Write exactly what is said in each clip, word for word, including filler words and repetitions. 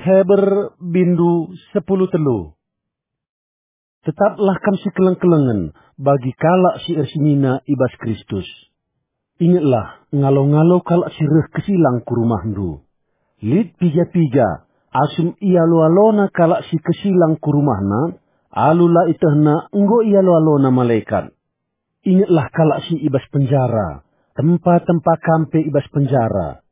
Heber bindu sepuluh telu. Tetaplah kam sikeleng-kelengen bagi kalak si ersinina i bas Kristus. Ingetlah, ngalo-ngalo kalak si reh kesilang ku rumahndu. Lit piga-piga, asum ialo-alona kalak si kesilang ku rumahna, alu la ietehna enggo ialo-alona malekat. Ingetlah kalak si i bas penjara, tempa-tempa kam pe i bas penjara.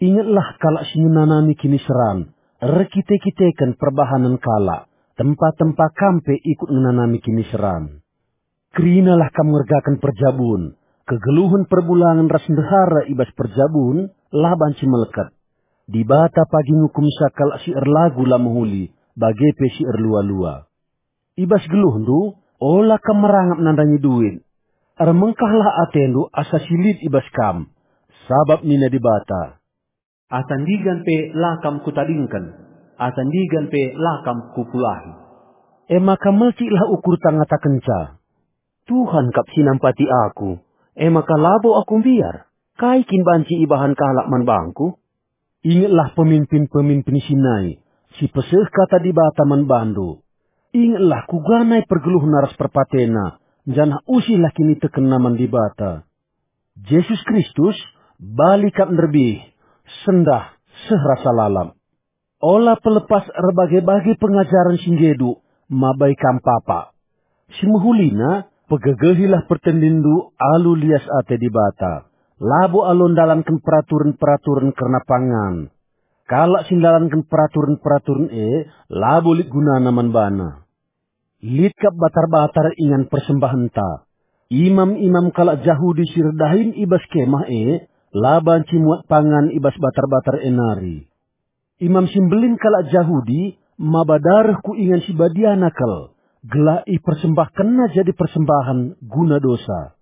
Ingetlah kalak si ngenanami kiniseran, erkite-kiteken perbahanen kalak, tempa-tempa kam pe ikut ngenanami kiniseran. Kerinalah kam ngergaken perjabun, kegeluhen perbulangen ras ndehara i bas perjabun la banci melket. Dibata pagi ngukumsa kalak si erlagu la mehuli, bage pe si erlua-lua. I bas geluhndu, ola kam merangap nandangi duit. Ermengkahlah atendu asa si lit i bas kam, sabap nina Dibata, "Asa ndigan pe la kam kutadingken, asa ndigan pe la kam kupulahi." E maka melciklah ukurta ngatakenca, "Tuhan kap si nampati aku, e maka labo aku mbiar. Kai kin banci ibahan kalak man bangku?" Ingetlah peminpin-peminpin si nai, si peseh kata Dibata man bandu. Ingetlah kuga nai pergeluhna ras perpatena, janah usihlah kinitekenna man Dibata. Jesus Kristus, bali kap nderbih, sendah, seh rasa lalap. Ola pelepas erbage-bage pengajaren si nggedu, mabai kam papa. Si mehulina, pegegehilah pertendinndu alu lias ate Dibata. Labo alu ndalanken peraturen-peraturen kerna pangan. Kalak si ndalanken peraturen-peraturen e, labo lit gunana man bana. Lit kap batar-batar ingan persembahenta. Imam-imam kalak Jahudi si erdahin i bas kemah e, la banci muat pangan i bas batar-batar e nari. Imam si Mbelin kalak Jahudi maba dareh ku ingan si badiana kal, gelah ipersembahkenna jadi persembahen guna dosa.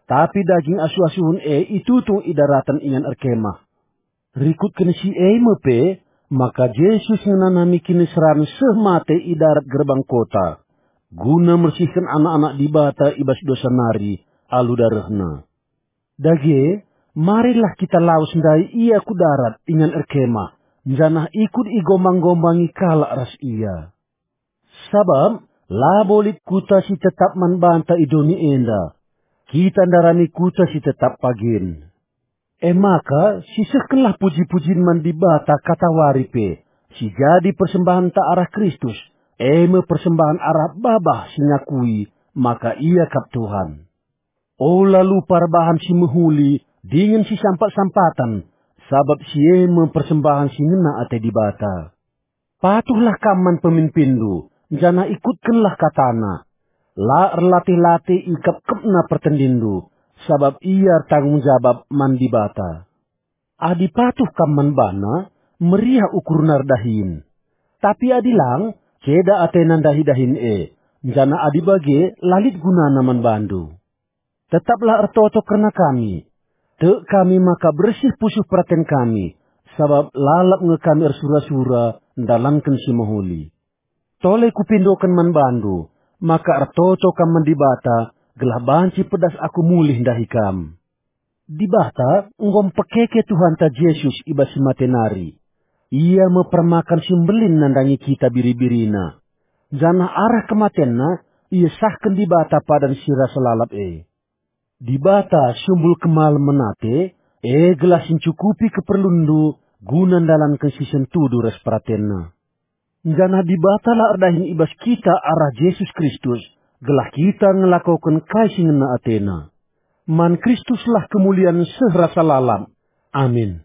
Tapi daging asuh-asuhen e itutung i daraten ingan erkemah. Rikutken si e me pe, maka Jesus ngenanami kiniseran seh mate i darat gerbang kota, guna mersihken anak-anak Dibata i bas dosa nari alu darehna. Dage, marilah kita lawes ndai ia ku darat ingan erkemah, janah ikut igombang-gombangi kalak ras ia. Sabap labo lit kuta si tetap man banta i doni enda. Kita ndarami kuta si tetap pagin. E maka, sisehkenlah puji-pujin man Dibata katawari pe, si jadi persembahenta arah Kristus, e me persembahen arah babah si ngakui maka Ia kap Tuhan. Ola lupa erbahan si mehuli dingen si sampat-sampaten, sabap si e me persembahen si ngena ate Dibata. Patuhlah kam man peminpinndu, janah ikutkenlah katana. La erlatih-latih ikepkepna pertendinndu, sabap ia ertanggung jabap man Dibata. Adi patuh kam man bana, meriah ukurna erdahin. Tapi adi lang, ceda atena ndahi dahin e, janah adi bage, la lit gunana man bandu. Tetaplah ertoto kerna kami. Tek kami maka bersih pusuh peraten kami, sabap lalap nge kami ersura-sura ndalanken si mehuli. Tole kupindoken man bandu, maka ertoto kam man Dibata, gelah banci pedas aku mulih ndahi kam. Dibata enggo mpekeke Tuhanta Jesus i bas si mate nari. Ia me permakan si mbelin nandangi kita biri-birina. Janah arah kematenNa, iesahken Dibata padan si rasa lalap e. Dibata sumbul kemalemen ate, e gelah si ncukupi keperlunndu guna ndalanken si sentudu ras peratenNa. Janah Dibata la erdahin i bas kita arah Jesus Kristus, gelah kita ngelakoken kai si ngena ateNa. Man Kristuslah kemulian seh rasa lalap. Amin.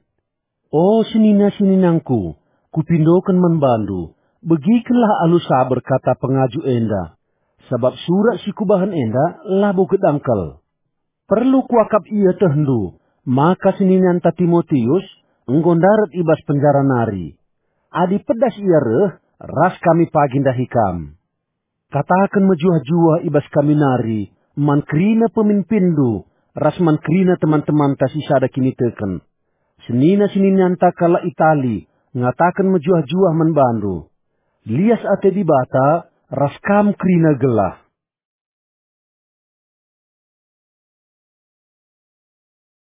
O senina-seninangku, kupindoken man bandu, begikenlah alu saber kata pengaju enda, sabap surat si kubahan enda labo gedang kal. Perlu kuakap ietehndu, maka seninanta Timotius enggo ndarat i bas penjara nari. Adi pedas ia reh, ras kami pagi ndahi kam. Kataken mejuah-juah i bas kami nari, man kerina peminpinndu, ras man kerina teman-temanta si sada kiniteken. Senina-seninanta kalak Itali ngataken mejuah-juah man bandu. Lias ate Dibata ras kam kerina gelah.